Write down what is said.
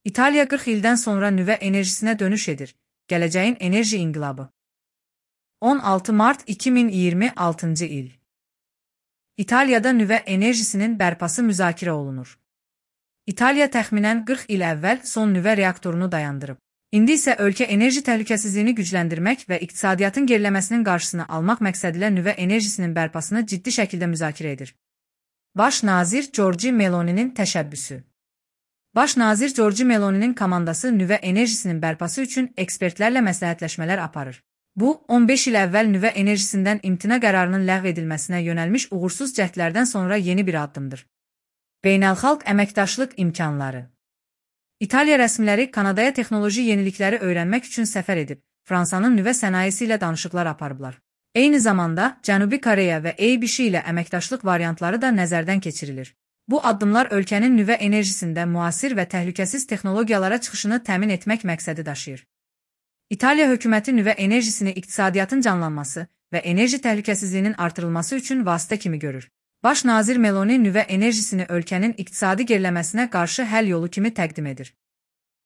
İtaliya 40 ildən sonra nüvə enerjisinə dönüş edir. Gələcəyin enerji inqilabı. 16 mart 2026 il. İtaliyada nüvə enerjisinin bərpası müzakirə olunur. İtaliya təxminən 40 il əvvəl son nüvə reaktorunu dayandırıb. İndi isə ölkə enerji təhlükəsizliyini gücləndirmək və iqtisadiyyatın geriləməsinin qarşısını almaq məqsədilə nüvə enerjisinin bərpasını ciddi şəkildə müzakirə edir. Baş nazir Giorgia Meloni'nin təşəbbüsü. Baş nazir Giorgia Meloni'nin komandası nüvə enerjisinin bərpası üçün ekspertlərlə məsləhətləşmələr aparır. Bu, 15 il əvvəl nüvə enerjisindən imtina qərarının ləğv edilməsinə yönəlmiş uğursuz cəhdlərdən sonra yeni bir addımdır. Beynəlxalq əməkdaşlıq imkanları. İtaliya rəsmiləri Kanadaya texnoloji yenilikləri öyrənmək üçün səfər edib, Fransanın nüvə sənayesi ilə danışıqlar aparıblar. Eyni zamanda, Cənubi Koreya və ABC ilə əməkdaşlıq variantları da nəzərdən keçirilir. Bu addımlar ölkənin nüvə enerjisində müasir və təhlükəsiz texnologiyalara çıxışını təmin etmək məqsədi daşıyır. İtaliya hökuməti nüvə enerjisini iqtisadiyyatın canlanması və enerji təhlükəsizliyinin artırılması üçün vasitə kimi görür. Baş nazir Meloni nüvə enerjisini ölkənin iqtisadi geriləməsinə qarşı həll yolu kimi təqdim edir.